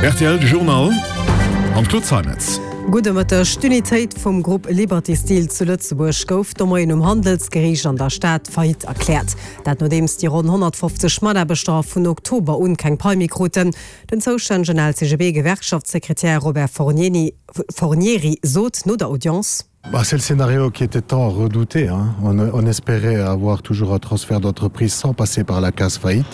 Rtl Journal mam Claude Zeimetz. Gudde Mëtteg. D'Unitéit vum Grupp Liberty Steel zu Lëtzebuerg gouf de Moien um Handelsgeriicht an der Stad Faillite erkläert. Dat nodeems déi ronn 150 Mataarbechter vun Oktober un keng Pai méi kruten. Den zoustännegen LCGB-Gewerkschaftssekretär Robert Fornieri sot no der Audience. Bah, c'est le scénario qui était tant redouté hein. on, on espérait avoir toujours un transfert d'entreprise sans passer par la case faillite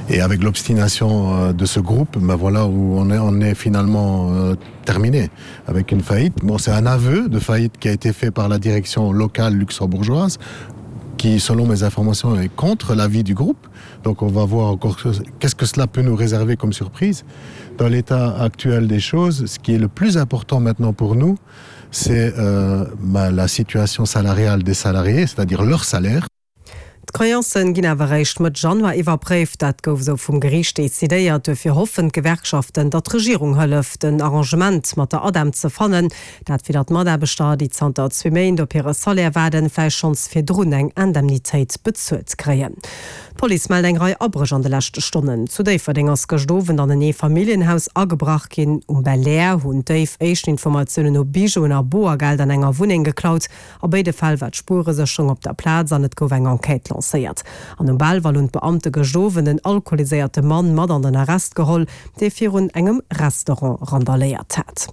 et avec l'obstination euh, de ce groupe ben voilà où on est, on est finalement euh, terminé avec une faillite bon c'est un aveu de faillite qui a été fait par la direction locale luxembourgeoise qui selon mes informations est contre l'avis du groupe donc on va voir encore qu'est-ce que cela peut nous réserver comme surprise dans l'état actuel des choses ce qui est le plus important maintenant pour nous c'est euh, la situation salariale des salariés, c'est-à-dire leur salaire. D'Creancen ginn awer eréischt Mëtt Januar iwwerpréift. Dat gouf esou vum Geriicht decidéiert. Duerfir hoffen d'Gewerkschaften, datt d'Regierung hëlleft, en Arrangement mat der ADEM ze fannen. Dat fir datt d'Mataarbechter, déi zanter zwee Méint op hire Salaire waarden, vläicht schonns virdrun eng Indemnitéit bezuelt kréien. D'Police mellt eng Rei Abréch an de leschte Stonnen. Zu Déifferdeng ass gëscht Owend an en Eefamilljenhaus agebrach ginn. Um Belair hunn d'Déif éischten Informatiounen no Bijouen a Boergeld an enger Wunneng geklaut. A béide Fäll war d'Spueresécherung op der Plaz an et gouf eng Enquête lancéiert. An um Belval hunn d'Beamte gëscht Owend en alkoholiséierte Mann mat an den Arrest geholl, dee virun engem Restaurant randaléiert hat.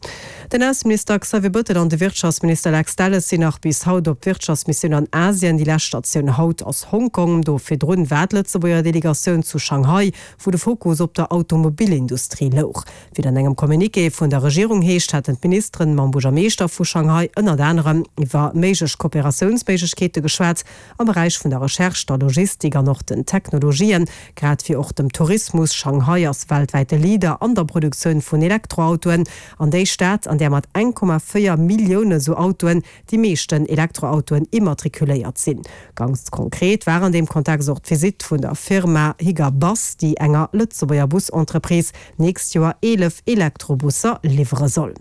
Den Ausseminister Xavier Bettel an de Wirtschaftsminister Lex Delles sinn nach bis haut op Wirtschaftsmissioun an Asien. Déi lescht Statioun haut ass Hongkong. Do virdrun war d'Lëtzebuerger Delegatioun zu Shanghai, wou de Fokus op der Automobilindustrie louch. Wéi et an engem Communiqué vun der Regierung heescht, hätten d'Ministeren mam Buergermeeschter vu Shanghai ënnert anerem iwwer méiglech Kooperatiounsméiglechkeete geschwat am Beräich vun der Recherche, der Logistik an och den Technologien, grad wéi och dem Tourismus. Shanghai ass weltwäite Leader an der Produktioun vun Elektroautoen an déi Stad, an där mat 1,4 Millioune sou Autoen déi meeschten Elektroautoen immatrikuléiert sinn. Ganz konkret war an deem Kontext och d'Visitt vun der Firma Higer Bus, déi enger Lëtzebuerger Busentreprise nächst Joer 11 Elektrobusser liwwere soll.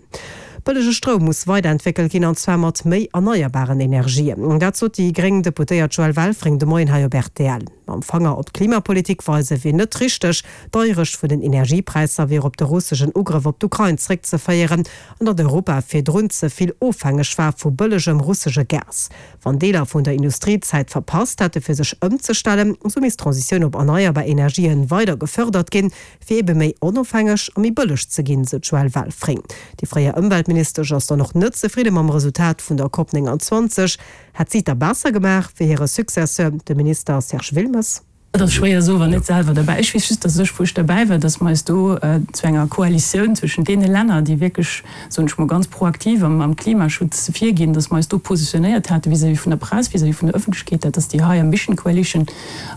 Bëllege Stroum muss weiderentwéckelt ginn, an zwar mat méi erneierbaren Energien. Dat sot déi gréng Deputéiert Joëlle Welfring de Moien hei op rtl. Mam Fanger op d'Klimapolitik weise wier net richteg. D'Deierecht vun den Energiepräisser wier op de russeschen Ugrëff op d'Ukrain zréckzeféieren an datt Europa virdrun ze vill ofhängeg war vu bëllegem russesche Gas. Wann Deeler vun der Industrie d'Zäit verpasst hätte fir sech ëmzestellen, esou misst d'Transitioun op erneierbar Energien weider gefërdert ginn, fir ebe méi onofhängeg a méi bëlleg ze ginn, sou d'Joëlle Welfring. Déi fréier Ëmweltministesch ass dann och net zefridde mam Resultat vun der Cop 29. Hätt si et da besser gemaach wéi hire Successeur, de Minister Serge Wilmes? Et ass schwéier soen, wann net selwer derbäi. Ech weess just, dass ech, wou ech derbäi war, dass mer eis do zu enger Koalitioun zwëschen deene Länner, déi wierklech, soen ech mol, ganz proaktiv am Klimaschutz virginn, dass mer eis do positionéiert hate vis-à-vis vun der Press, vis-à-vis vun der Öffentlechkeet, dat ass déi High Ambition Coalition,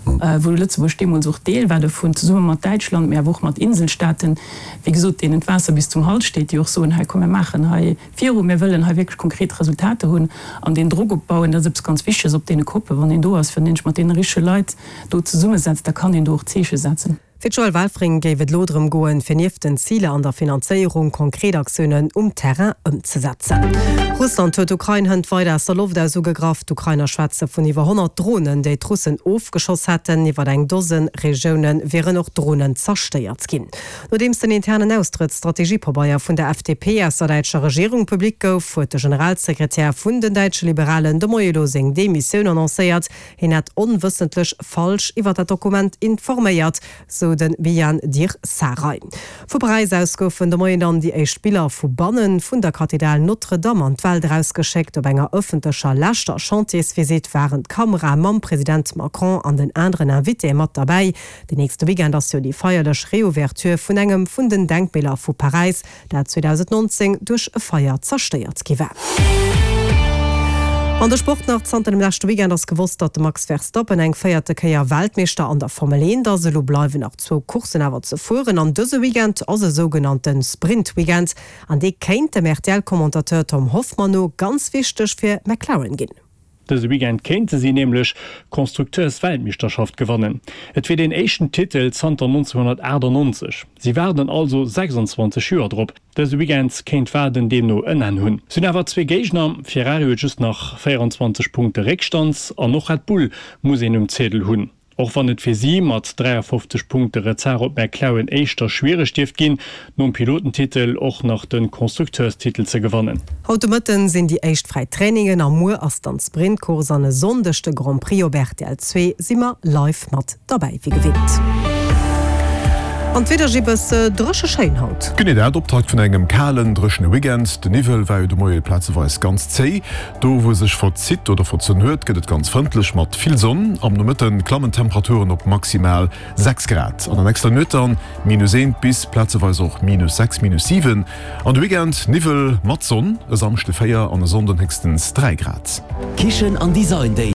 wou Lëtzebuerg deemools och Deel war dovun, zesumme mat Däitschland, mee awer och mat Inselstaaten, wéi gesot, deenen d'Waasser bis zum Hals steet, déi och soen, hei komm, mir maachen hei viru, mir wëllen hei wierklech konkret Resultater hunn an deen Drock opbauen, dat ass eppes ganz Wichteges op deene Koppen, wann een do ass, wann een sech mat deene richtege Leit do zesummesetzt, da kann een do och Zeeche setzen. Fir d'Joëlle Welfring géif et elo drëm goen, fir nieft den Ziler an der Finanzéierung konkret Aktiounen um Terrain ëmzesetzen. Russland huet d'Ukrain hënt weider aus der Loft aus ugegraff. D'Ukrainer schwätze vun iwwer 100 Dronen, déi d'Russen ofgeschoss hätten. Iwwer eng Dose Regioune wieren och Dronen zerstéiert ginn. Nodeems den internen Austrëttsstrategiepabeier vun der FDP aus der däitscher Regierung public gouf, huet de Generalsekretär vun den däitsche Liberalen de Moie elo seng Demissioun annoncéiert. Hien hätt onwëssentlech falsch iwwer dat Dokument informéiert, sou de Bijan Djir-Sarai. Vu Paräis aus goufen de Moien dann déi éischt Biller vu banne vun der Kathedral Notre-Dame an d'Welt erausgeschéckt. Op enger ëffentlecher leschter Chantiersvisitt waren d'Kamerae mam President Macron an den aneren Invitéë mat derbäi. Den nächste Weekend ass jo déi feierlech Reouverture vun engem vun den Denkmäler vu Paräis, dat 2019 duerch e Feier zerstéiert gi war. An de Sport nach, Zanter dem leschte Weekend ass gewosst, datt de Max Verstappen eng véierte Kéier Weltmeeschter an der Formel 1 ass. Elo bleiwen nach zwou Courssen awer ze fueren an dëse Weekend ass e sougenannte Sprint-Weekend an dee kéint dem RTL-Commentateur Tom Hoffmann no ganz wichteg fir McLaren ginn. Dëse Weekend kéinte si nämlech d'Konstrukteursweltmeeschterschaft gewannen. Et wier deen éischten Titel zanter 1998. Si waarden also 26 Joer drop. Dëse Weekend kéint d'Waarden deemno en Enn hunn. Si hunn awer zwee Géigner, Ferrari huet just nach 24 Punkte Réckstand an och Red Bull muss een um Ziedel hunn. Och wann et fir si mat 53 Punkte Retard op McLaren éischter schwiereg dierft ginn, nom Pilotentitel och nach de Constructeurstitel ze gewannen. Haut de Mëtten sinn déi éischt fräi Trainingen a muer ass dann d'Sprintcourse an e Sonndeg de Grand Prix op rtl 2 si mer live mat derbäi wéi gewinnt. An d'Wieder Gibbes, dréche schéin haut. Genee dat, Optakt vun engem kalen, dréchene Weekend. De Niwwel war jo de Moie plazeweis ganz zéi. Do wou e sech verzitt oder verzunn huet, gëtt et ganz frëndlech mat vill Sonn. Am Nomëtte klammen d'Temperaturen op maximal 6 Grad. An der nächster Nuet dann minus 1 bis plazeweis och minus 6, minus 7. An de Weekend Niwwel mat Sonn, e Samschde 4 an e Sonnden héchstens 3 Grad. Kichen an Design Day.